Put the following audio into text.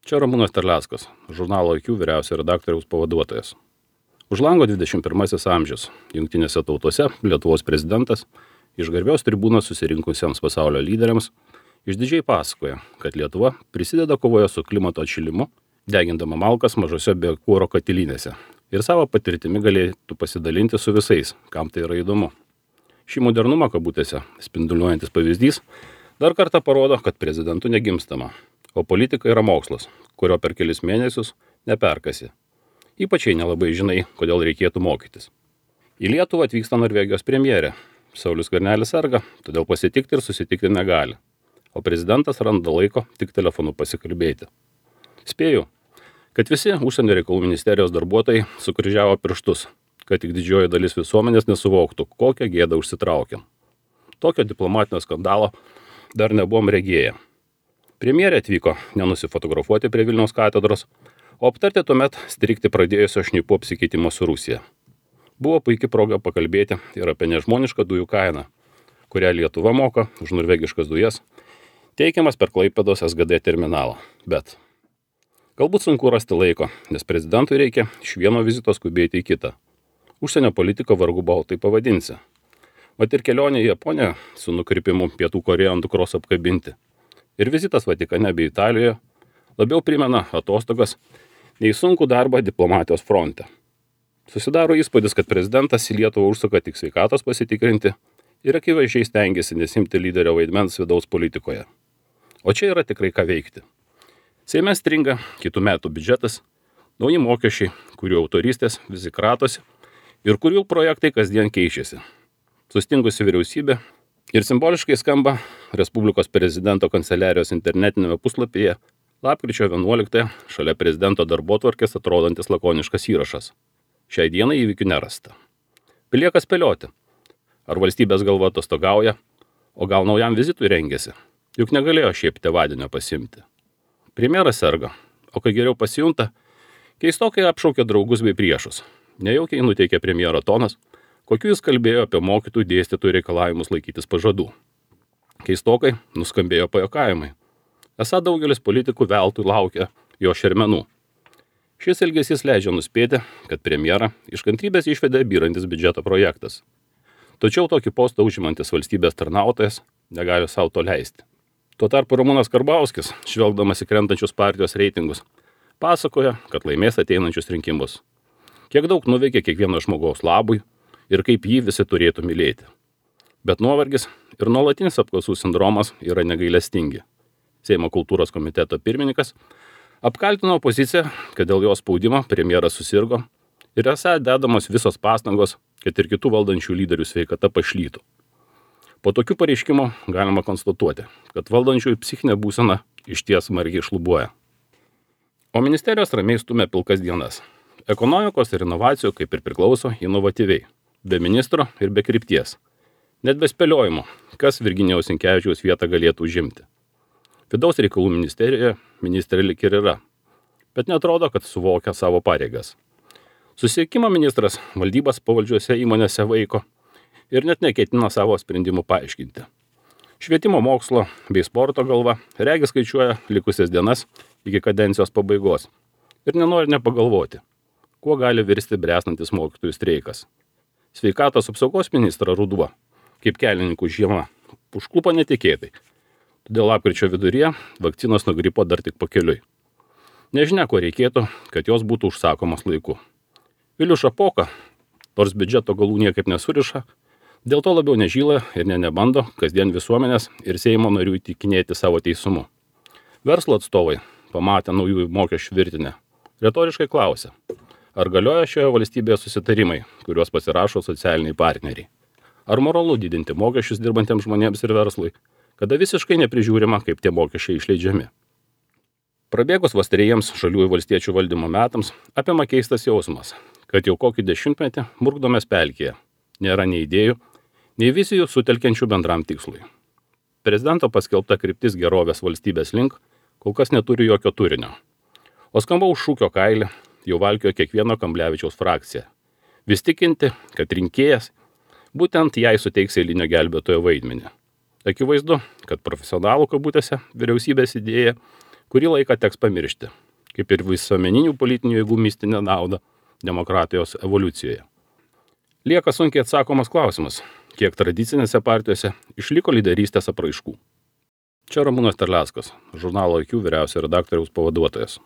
Čia Ramūnas Terleckas, žurnalo IQ vyriausio redaktoriaus pavaduotojas. Už lango 21 amžius. Jungtinėse tautose Lietuvos prezidentas iš garbios tribūnos susirinkusiems pasaulio lyderiams išdidžiai pasakoja, kad Lietuva prisideda kovoje su klimato atšilimu, degindama malkas mažose biokuro katilinėse ir savo patirtimi galėtų pasidalinti su visais, kam tai yra įdomu. Šį modernumą kabutėse spinduliuojantis pavyzdys dar kartą parodo, kad prezidentų negimstama, o politika yra mokslas, kurio per kelis mėnesius neperkasi. Ypač jei nelabai žinai, kodėl reikėtų mokytis. Į Lietuvą atvyksta Norvegijos premjerė. Saulius Skvernelis serga, todėl pasitikti ir susitikti negali. O prezidentas randa laiko tik telefonu pasikalbėti. Spėju, kad visi užsienio reikalų ministerijos darbuotojai sukryžiavo pirštus, kad tik didžioji dalis visuomenės nesuvoktų, kokią gėdą užsitraukiam. Tokio diplomatinio skandalo dar nebuvom regėję. Premjerė atvyko nenusifotografuoti prie Vilniaus katedros, o aptarti tuomet strigti pradėjusio šnipų apsikeitimo su Rusija. Buvo puikia proga pakalbėti ir apie nežmonišką dujų kainą, kurią Lietuva moka už norvegiškas dujas, teikiamas per Klaipėdos SGD terminalą. Bet galbūt sunku rasti laiko, nes prezidentui reikia iš vieno vizito skubėti į kitą. Užsienio politiką vargu bau tai pavadinsi. Vat ir kelionė į Japoniją su nukrypimu Pietų Korėją ant dukros apkabinti. Ir vizitas Vatikane bei Italijoje labiau primena atostogas nei sunkų darbą diplomatijos fronte. Susidaro įspūdis, kad prezidentas į Lietuvą užsuka tik sveikatos pasitikrinti ir akivaizdžiai stengiasi nesimti lyderio vaidmens vidaus politikoje. O čia yra tikrai ką veikti. Seime stringa kitų metų biudžetas, nauji mokesčiai, kurių autorystės visi kratosi ir kurių projektai kasdien keičiasi. Sustingusi vyriausybė ir simboliškai skamba Respublikos prezidento kanceliarijos internetinėme puslapyje lapkričio 11 šalia prezidento darbotvarkės atrodantis lakoniškas įrašas. Šiai dienai įvykių nerasta. Belieka spėlioti, ar valstybės galva atostogauja, o gal naujam vizitui rengiasi, juk negalėjo šiaip tėvadienio pasimti. Premjeras serga, o kai geriau pasijunta, keistokai apšaukė draugus bei priešus. Nejaukiai nuteikė premjero tonas, kokiu jis kalbėjo apie mokytojų dėstytojų reikalavimus laikytis pažadų. Keistokai nuskambėjo pajuokavimai. Esą daugelis politikų veltui laukia jo šermenų. Šis elgesys leidžia nuspėti, kad premjerą iš kantrybės išvedė byrantis biudžeto projektas. Tačiau tokį postą užimantis valstybės tarnautojas negali savo to leisti. Tuo tarpu Ramūnas Karbauskis, žvelgdamas į krentančius partijos reitingus, pasakoja, kad laimės ateinančius rinkimus. Kiek daug nuveikė kiekvieno žmogaus labui ir kaip jį visi turėtų mylėti. Bet nuovargis ir nuolatinis apklausų sindromas yra negailestingi. Seimo kultūros komiteto pirmininkas apkaltino opoziciją, kad dėl jos spaudimo premjeras susirgo ir esą dedamos visos pastangos, kad ir kitų valdančių lyderių sveikata pašlytų. Po tokių pareiškimų galima konstatuoti, kad valdančiųjų psichinė būsena išties smarkiai šlubuoja. O ministerijos ramiai stumia pilkas dienas. Ekonomikos ir inovacijų kaip ir priklauso inovatyviai, be ministro ir be krypties. Net be spėliojimo, kas Virginijaus Sinkevičiaus vietą galėtų užimti. Vidaus reikalų ministerijoje ministrė lik ir yra, bet netrodo, kad suvokia savo pareigas. Susisiekimo ministras valdybas pavaldžiuose įmonėse vaiko ir net neketina savo sprendimų paaiškinti. Švietimo mokslo bei sporto galva regis skaičiuoja likusias dienas iki kadencijos pabaigos ir nenori nepagalvoti, kuo gali virsti bręstantis mokytojų streikas. Sveikatos apsaugos ministra ruduo, kaip kelininkų žiema, užklupo netikėtai. Todėl lapkričio viduryje vakcinos nuo gripo dar tik pakeliui. Nežinia, ko reikėtų, kad jos būtų užsakomos laiku. Vilius Šapoka, nors biudžeto galų niekaip nesuriša, dėl to labiau nežyla ir nebando kasdien visuomenės ir Seimo narių įtikinėti savo teisumu. Verslo atstovai, pamatę naujųjų mokesčių virtinę, retoriškai klausia, ar galioja šioje valstybėje susitarimai, kuriuos pasirašo socialiniai partneriai. Ar moralu didinti mokesčius dirbantiems žmonėms ir verslui, kada visiškai neprižiūrima, kaip tie mokesčiai išleidžiami. Prabėgus vos trejiems žaliųjų valstiečių valdymo metams apima keistas jausmas, kad jau kokį dešimtmetį murkdomės pelkėje. Nėra nei idėjų, nei vizijų sutelkiančių bendram tikslui. Prezidento paskelbta kryptis gerovės valstybės link kol kas neturi jokio turinio. O skambaus šūkio kailį jau valkiojo kiekvieno Kamblevičiaus frakcija. Vis tikinti, kad rinkėjas būtent jai suteiks eilinio gelbėtojo vaidmenį. Akivaizdu, kad profesionalų kabutėse vyriausybės idėja kurį laiką teks pamiršti, kaip ir visuomeninių politinių jėgų mistinę naudą demokratijos evoliucijoje. Lieka sunkiai atsakomas klausimas, kiek tradicinėse partijose išliko lyderystės apraiškų. Čia Ramūnas Terleckas, žurnalo IQ vyriausio redaktoriaus pavaduotojas.